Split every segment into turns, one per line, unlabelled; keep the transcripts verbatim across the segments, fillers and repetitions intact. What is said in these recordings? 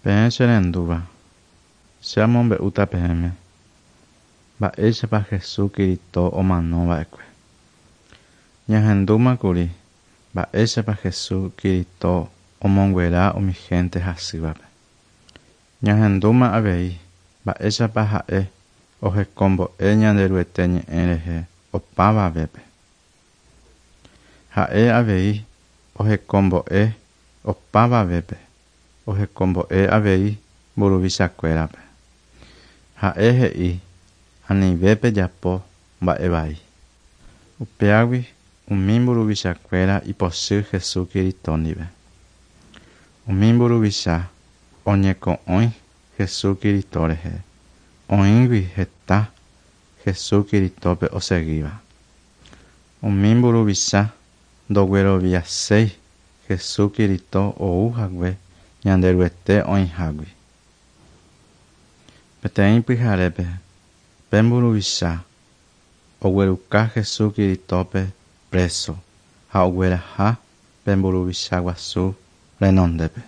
Peẽ cherendúva, che amombe'úta peẽme mba'éichapa Jesucristo omanova'ekue. Ñahendúmakuri mba'éichapa Jesucristo omonguera umi gente hasývape. Ñahendúma avei mba'éichapa ha'e ohekombo'e Ñanderuete ñe'ẽ rehe opavavépe. Ha'e avei ohekombo'e opavavépe, ohekombo'e avei mburuvichakuérape. Ha'e he'i anivépe japo mba'evai. Upéagui umi mburuvichakuéra ipochy Jesucristo ndive. Umi mburuvicha oñeko'õi Jesucristo rehe, oĩgui heta Jesucristo-pe osegíva. Umi mburuvicha ndogueroviaséi Jesucristo ouhague Ñanderuete oĩhágui. Peteĩ pyharépe pe mburuvicha ogueruka Jesucristo-pe preso ha ogueraha pe mburuvicha guasu renondépe.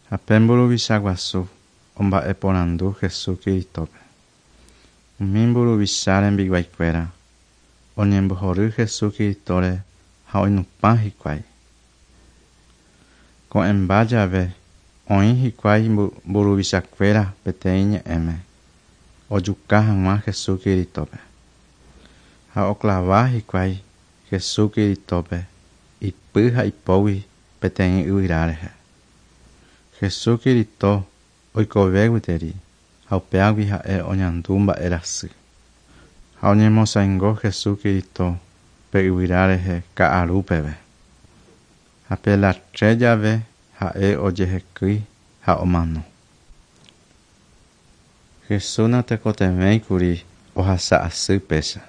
Ha pe mburuvicha guasu omba'eporandu Jesucristo-pe. Umi mburuvicha rembiguaikuéra oñembohory Jesucristo-re ha oinupã hikuái. Ko'ẽmba jave oĩ hikuái mburuvichakuéra peteĩ ñe'ẽme ojuka hag̃ua Jesucristo-pe. Ha oklava hikuái Jesucristo-pe ipy ha ipógui peteĩ yvyra rehe. Jesucristo oikove gueteri ha upéagui ha'e oñandu mba'erasy. Ha oñemosãingo Jesucristo pe yvyra rehe ka'aru peve. Ha pe las tres jave ha'e ojehekýi ha omano. Jesús natekotevẽikuri ohasa asy péicha.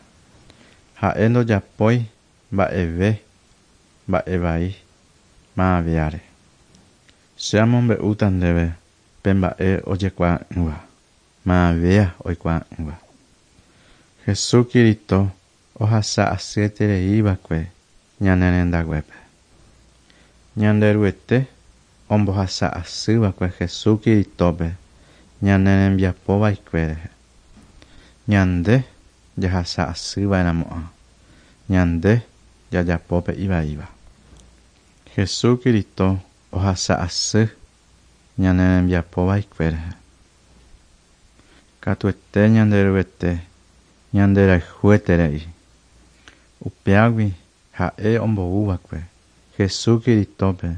Ha'e ndojapói mba'eve mba'evai maviáre. Che amombe'úta ndéve pe mba'e ojekuaa'ỹva, mavia oikuaa'ỹva. Jesucristo ohasa asyetereíva'ekue ñane rendaguépe. Ñanderuete ombohasa asýva'ekue Jesucristo-pe ñane rembiapova'ekue rehe. Ñande jahasa asýva'erãmo'ã, ñande jajapópe ivaíva. Jesucristo ohasa asy ñane rembiapova'ekue rehe. Katuete Ñanderuete ñanderayhueterei. Upéagui ha'e omboúva'ekue Jesucristo-pe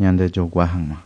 ñandejogua hag̃ua.